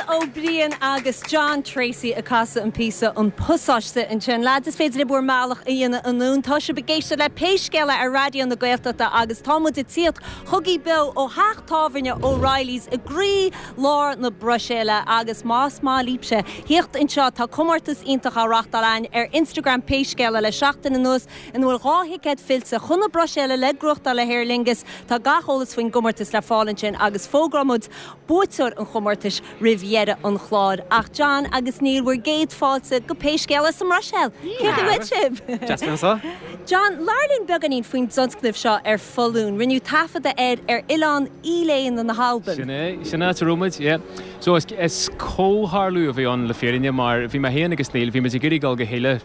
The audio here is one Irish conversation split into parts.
Ó Briain agus John Treacy ag casadh an píosa An Pasáiste ansin. Lads, is féidir libh bhur mbealach a dhéanamh anonn. Tá sibh ag éisteacht le Pé Scéal É ar Raidió na Gaeltachta agus tá muid ag tíocht chugaibh beo ó theach tábhairne O'Reilly's i gcroí lár na Bruiséile agus más maith libhse thíocht anseo tá comórtas iontach á reachtáil againn ar Instagram Pé Scéal É le seachtain anuas ina bhfuil 2 thicéad fillte chun na Bruiséile le gnóthachtáil le hAer Lingus. Tá gach eolas faoin gcomórtas le fáil ansin agus fógróidh muid buaiteoir an chomórtais roimh dheireadh an chláir. Ach John agus Neil, bhur gcéad fáilte go Pé Scéal É sa mBruiséil! Cén chaoi a bhfuil sibh? Deas bheith anseo. John, labhair linn beagáinín faoin dtionscnamh seo ar Foluain. Rinneadh taifeadadh air ar Oileán Eilean na hAlban. Sin é, sin áit a raibh muid, yeah. So is, is comhtharlú a bhí ann le fírinne mar bhí mé féin agus Neil, bhí muid ag iarraidh dul go hIle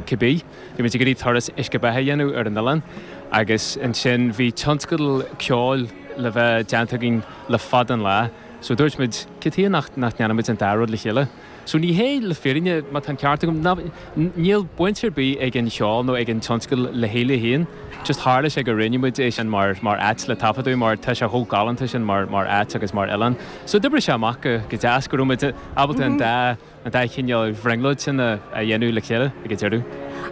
cibé. Bhí muid ag iarraidh turas uisce beatha a dhéanamh ar an oileán agus ansin bhí tionscadal ceoil le bheith déanta againn le fada an lá. So dúirt muid, cad chuige nach ndéanfaidh muid an dá rud le chéile? So ní hé, le fírinne, má tá an ceart agam, ná, níl baint ar bith ag an cheol nó ag an tionscadal le hIle féin. Just tharla sé gur roghnaigh muid é sin mar, mar áit le taifeadadh mar tá sé chomh galánta sin mar, mar áit agus mar oileán. So d'oibrigh sé amach go, go deas go raibh muid ábalta an dá, an dá chineál bhrionglóid sin a dhéanamh le chéile ag an deireadh.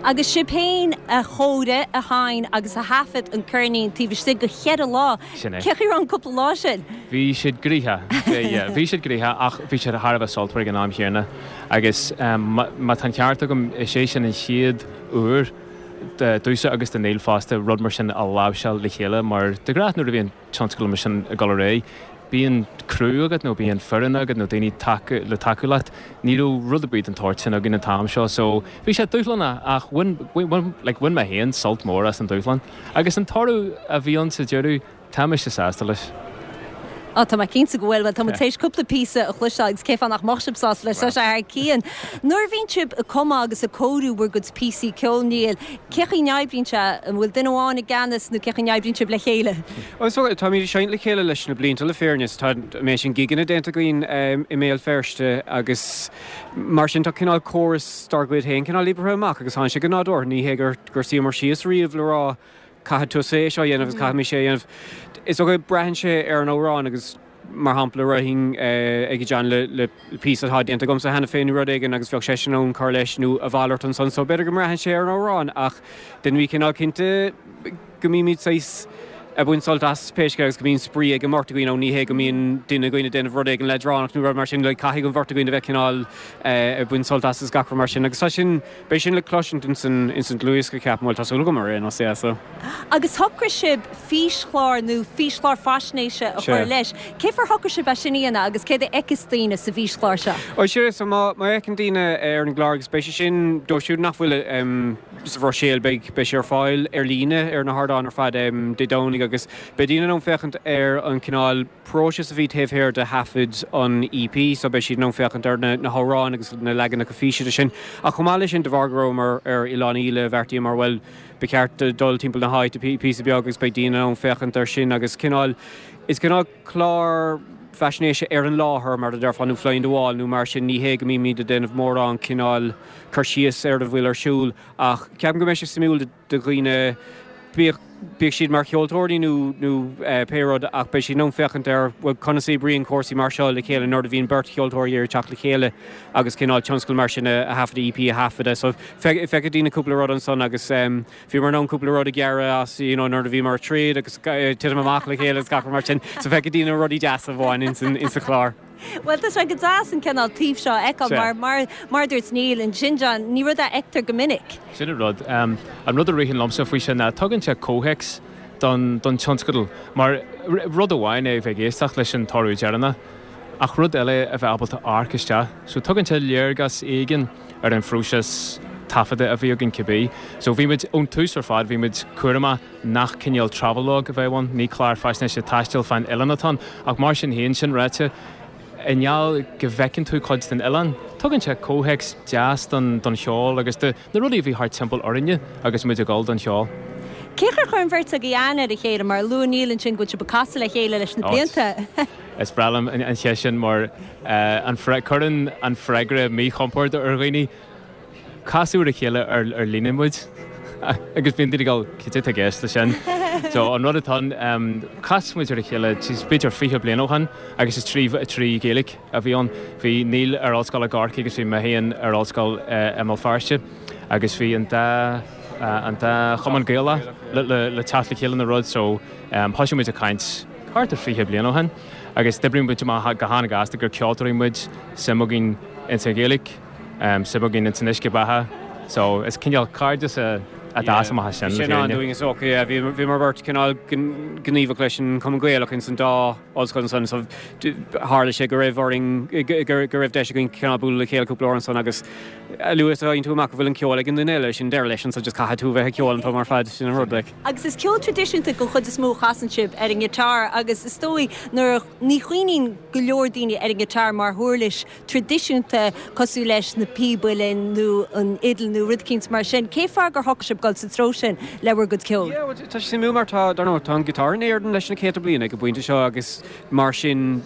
Agus sibh féin a chóirigh, a sheinn agus a thaifead an ceirnín taobh istigh de cheithre lá. Sin é. Cén chaoi a raibh an cúpla lá sin? Bhí siad gnoitheach. Yeah, bhí siad gnoitheach ach bhí siad thar a bheith sultmhar ag an am chéanna. Agus má tá an ceart agam, is é sin an chéad uair domhsa agus do Neil fosta rud mar sin a láimhseáil le chéile mar de ghnáth nuair a bhíonn tionscadal mar sin ag dul ar aghaidh, bíonn criú agat nó bíonn foireann agat nó daoine le tacú leat. Ní raibh rud ar bith den tsórt sin againn an t-am seo so bhí sé dúshlánach ach bhain, bhain, like, bhain mé féin sult mór as an dúshlán. Agus an toradh a bhí ann sa deireadh, tá mise sásta leis. Á, tá mé cinnte go bhfuil. Bhuel, tá muid tar éis cúpla píosa a chloisteáil agus cén fáth nach mbeadh sibh sásta leis? Tá sé thar cionn. Nuair a bhíonn sibh ag cumadh agus ag cóiriú bhur gcuid píosaí ceoil, Niall, cén chaoi a n-oibríonn sé? An bhfuil duine amháin i gceannas nó cén chaoi a n-oibríonn sibh le chéile? Bhuel, so, táimid ag seinnt le chéile leis na blianta le fírinne. So, tá an méid sin gigeanna déanta againn i mBéal Feirste agus mar sin tá cineál córas dár gcuid féin cineál oibrithe amach agus tánn sé go nádúrtha. Ní hé gur gur suíomar síos riamh le rá caithfidh tusa é seo a dhéanamh agus caithfidh mise é a dhéanamh. Is dócha braitheann sé ar an amhrán agus mar shampla rachainn ag John le le píosa atá déanta agamsa cheana féin nó rud éigin agus bheadh seisean in ann cur leis nó a mhalairt ansan so b'fhéidir go mbraitheann sé ar an amhrán ach deinim cineál cinnte go mbímid saghas ag baint sult as pé scéal agus go mbíonn spraoi ag an mbeirt againn ann, ní hé go mbíonn duine againn ag déanamh rud éigin leadránach nó rud mar sin, like caithfidh an bheirt againn a bheith cineál ag baint sult as agus gach rud mar sin agus tá sin, beidh sin le cloisint ins an, ins an dlúthdhiosca ceapaim, bhuel tá súil agam ar aon nós, yeah so. Agus shocraigh sibh físchlár nó físchlár faisnéise a chur leis. Cén fáth ar shocraigh sibh é sin a dhéanamh agus céard a fheicfeas daoine sa bhfíschlár seo? Ó sure, so má, má fheiceann daoine ar an gclár agus beidh sé sin, dóibh siúd nach bhfuil sa Bhruiséil, beidh, beidh sé ar fáil ar líne ar na hardáin ar fad Dé Domhnaigh agus beidh daoine in ann féachaint ar an cineál próiseas a bhí taobh thiar de thaifead an EP so beidh siad in ann féachaint ar na, na hamhráin agus na leaganacha físe de sin. Ach chomh maith leis sin, de bharr go rabhamar ar Oileán Íle, bheartaíomar, bhuel, ba cheart dul timpeall na háite píosa beag agus beidh daoine in ann féachaint ar sin agus cineál, is cineál clár faisnéise ar an láthair mar a déarfá nó fly on the wall nó mar sin, ní hé go mbímid ag déanamh mórán cineál cur síos ar a bhfuil ar siúl ach ceapaim go mbeidh sé suimiúil do dhaoine, bíodh bíodh siad mar cheoltóirí nó nó pé rud ach beidh siad in ann féachaint ar bhuel conas a oibríonn cúrsaí mar seo le chéile nuair a bhíonn beirt cheoltóirí ag teacht le chéile agus cineál tionscal mar sin a thaifeadadh, EP a thaifeadadh. So feicfidh daoine cúpla rud ansan agus bhíomar in ann cúpla rud a ghearradh as you know nuair a bhíomar ag troid agus titim amach le chéile agus gach rud mar sin. So feicfidh daoine rudaí deasa a bhain ins an ins an chlár. Bhuel, tá sé go deas an cineál taobh seo a fheiceáil mar, mar, mar a dúirt Neil ansin, John, ní rud é a fheictear go minic. Sin an rud. An rud a ritheann liomsa faoi sin ná tugann sé comhthéacs don, don tionscadal. Mar rud amháin é a bheith ag éisteacht leis an toradh deireanach, ach rud eile a bheith ábalta amharc isteach. So tugann sé léargas éigin ar an phróiseas taifeadta a bhí againn cibé. So bhí muid, ón tús ar fad, bhí muid cúramach nach cineál travelogue a bheadh ann, ní clár faisnéise taistil fán oileán atá ann, ach mar sin féin, sin ráite, i ngeall go bhfeiceann tú cuid den oileán, tugann sé comhthéacs deas don cheol agus do na rudaí a bhí thart timpeall orainne agus muid ag dul don cheol. Cén chaoi ar chuir an bheirt agaibh aithne ar a chéile? Mar luaigh Neil ansin go bhfuil sibh ag casadh le chéile leis na blianta. Is breá liom an cheist sin mar cuireann an freagra míchompord ar dhaoine. Casadh ar a chéile ar líne muid agus bíonn daoine ag dul, cad é atá i gceist leis sin? So an rud atá ann, chas muid ar a chéile b'fhéidir 20 bliain ó shin agus is trí trí Ghaeilge a bhí ann. Bhí Neil ar ollscoil i gCorcaigh agus bhí mé féin ar ollscoil i mBéal Feirste agus bhí an dá an dá chumann Gaelach le le teacht le chéile nó rud so thosaigh muid ag caint thart ar 20 bliain ó shin agus d'oibrigh muid amach go han-ghasta gur ceoltóirí muid, suim againn ins an Ghaeilge. Suim againn ins an uisce beatha so is cineál cairdeas a d'fhás amach as sin, le Sin fírinne. an-dúinn is dócha, yeah. Bhíomar beirt cineál gníomhach leis an Chumann Gaelach ins an dá ollscoil ansan so tharla sé go raibh orainn, go raibh deis againn cineál bualadh le chéile cúpla uair ansan agus a luaithe is a fhaigheann tú amach go bhfuil an ceol ag an duine eile, sin deireadh leis ansan, just caithfidh tú bheith ag ceol an t-am ar fad, sin an rud like. Agus is ceol traidisiúnta den chuid is mó a chasann sibh ar an ngiotár agus is dóigh nuair a, ní chuimhníonn go leor daoine ar an ngiotár mar huirlis traidisiúnta cosúil leis na píob uilleann nó an fhidil nó rud eicínt mar sin. Cén fáth gur shocraigh sibh dul sa treo sin le bhur gcuid ceoil? Yeah, bhuel, tá sé suimiúil mar tá, dar ndóigh, tá an giotár in Éirinn leis na céadta bliain ag an bpointe seo agus mar sin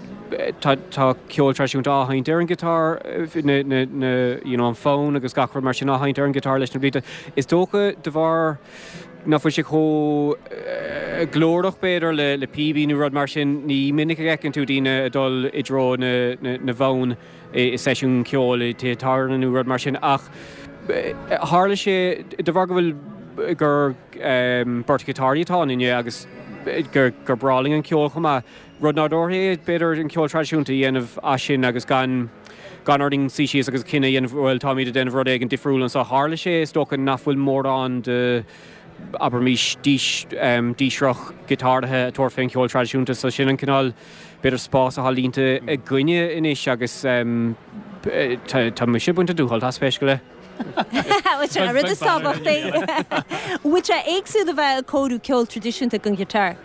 tá, tá ceol traidisiúnta á sheinnt ar an ghiotár, na, na, na, you know, an fonn agus gach rud mar sin á sheinnt ar an ghiotár leis na blianta. Is dócha de bharr nach bhfuil sé chomh glórach, b'fhéidir, le píobaí nó rud mar sin. Ní minic a fheiceann tú daoine ag dul i dtreo na bhfonn i seisiún ceoil i dtithe tábhairne nó rud mar sin ach tharla sé, de bharr go bhfuil, gur beirt ghiotáraí atá ionainne agus gur breá linn an ceol chomh maith, Rud nádúrtha é, b'fhéidir, an ceol traidisiúnta a dhéanamh as sin agus gan gan orainn suí síos agus cinneadh a dhéanamh, bhuel, táimid ag déanamh rud éigin difriúil anseo. Tharla sé, is dócha, nach bhfuil mórán de, abraimis, dís, dísreach giotáraithe ag tabhairt fén cheol traidisiúnta so sin an cineál, b'fhéidir, spás atá líonta againne anois agus tá mise ag baint an dúshult as, pé scéal é. Bhuel, sin an rud is tábhachtaí. Bhfuil sé éagsúil a bheith ag cóiriú ceol traidisiúnta don ghiotár?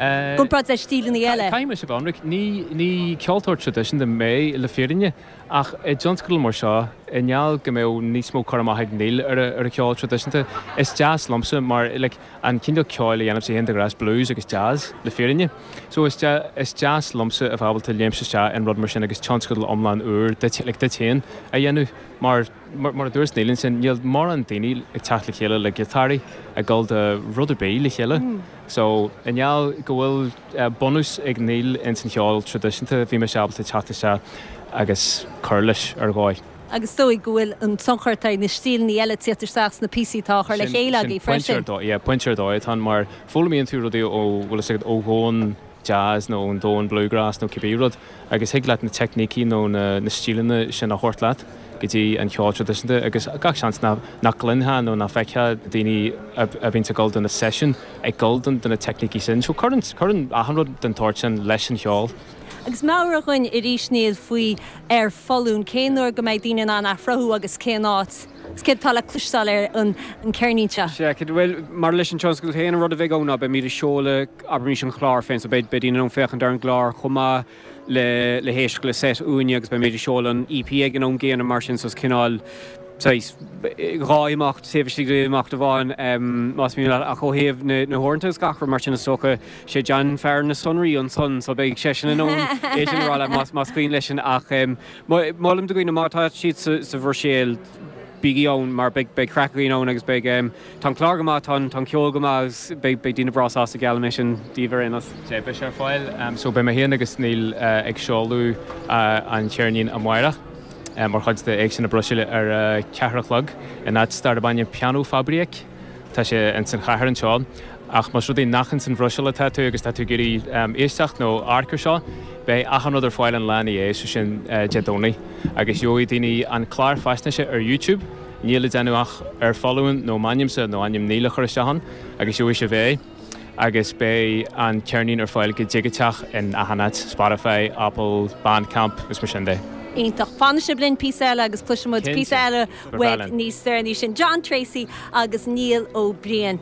I gcomparáid le stíleanna eile. Caithfidh mise a bheith ionraic, ní, ní ceoltóir traidisiúnta mé le fírinne, ach i dtionscadal mar seo, i ngeall go mbeadh níos mó cur amach ag Neil ar a, ar a cheol traidisiúnta, is deas liomsa mar, like, an cineál ceoil a dhéanaimse féin de ghnáth is blues agus jazz, le fírinne. So is de, is deas liomsa a bheith ábalta léimt isteach in rud mar sin agus tionscadal iomlán úr duit, like, duit féin a dhéanamh mar, mar a dúirt Neil ansin, níl mórán daoine ag teacht le chéile le giotáraí ag dul do rud ar bith le chéile. So, i ngeall go bhfuil bunús ag Neil ins an cheol traidisiúnta, bhí mise ábalta teacht isteach agus cur leis ar dhóigh. Agus is dóigh go bhfuil an tionchar atá ag na stíleanna eile ag tíocht isteach sna píosaí atá á chur le chéile agaibh freisin. Sin, yeah, pointe ar dóigh atá ann mar foghlaimíonn tú rudaí ó, bhfuil fhios agat, ó dhomhan jazz nó ón domhan bluegrass nó cibé rud agus thig leat na teicnící nó na stíleanna sin a thabhairt leat go dtí an cheol traidisiúnta agus gach seans nach gcluinfeá nó nach bhfeicfeá daoine a bhíonns ag dul do na seisiúin ag dul do na teicnící sin. So cuireann, cuireann achan rud den tsórt sin leis an cheol. Agus meabhraigh dhúinn arís Neil faoi Ar Foluain, cén uair go mbeidh daoine in ann é a shroicheadh agus cén áit? Agus céard atá le cloisteáil ar an ceirnín seo? Sea, cinnte. Bhuel, maidir leis an tionscadal féin, an rud a bheidh ann ná beimid ag seoladh, abraimis, an clár féin, so beidh daoine in ann féachaint ar an gclár chomh maith le le héisteacht le set uainne agus beimid ag seoladh an EP ag an am gcéanna mar sin, so is cineál saghas dhá imeacht taobh istigh d'imeacht amháin, más mian leat. Ach ó thaobh na na huaireanta agus gach rud mar sin, is dócha, sé John fear na sonraí ansan, so beidh seisean in ann é sin a rá leat más más cuimhin leisean. Ach molaim do dhaoine má tá siad sa Bhruiséil, bígí ann mar beidh beidh craic againn ann agus beidh tá an clár go maith, tá an tá an ceol go maith agus beidh beidh daoine breá sásta, geallaim é sin daoibh ar aon nós. Sea, beidh sé ar fáil. So beidh mé féin agus Neil ag seoladh an cheirnín amárach mar chuid de Éigse na Bruiséile ar a ceathair a chlog in áit darb ainm Pianofabriek. Tá sé ins an chathair anseo. Ach más rud é nach ins an Bhruiséil atá tú agus tá tú ag iarraidh éisteacht nó amharc ar seo, beidh achan rud ar fáil an lá ina dhiaidh, so sin Dé Domhnaigh. Agus gheobhaidh daoine an clár faisnéise ar YouTube, níl le déanamh ach Ar Foluain nó m'ainmse nó ainm Neil a chur isteach ann agus gheobhaidh sibh é. Agus beidh an ceirnín ar fáil go digiteach in achan áit, Spotify, Apple, Bandcamp is mar sin de. Iontach. Fanfaidh sibh linn píosa eile agus cloisfidh muid píosa eile uaibh níos deireanaí. Sin John Treacy agus Neil Ó Briain.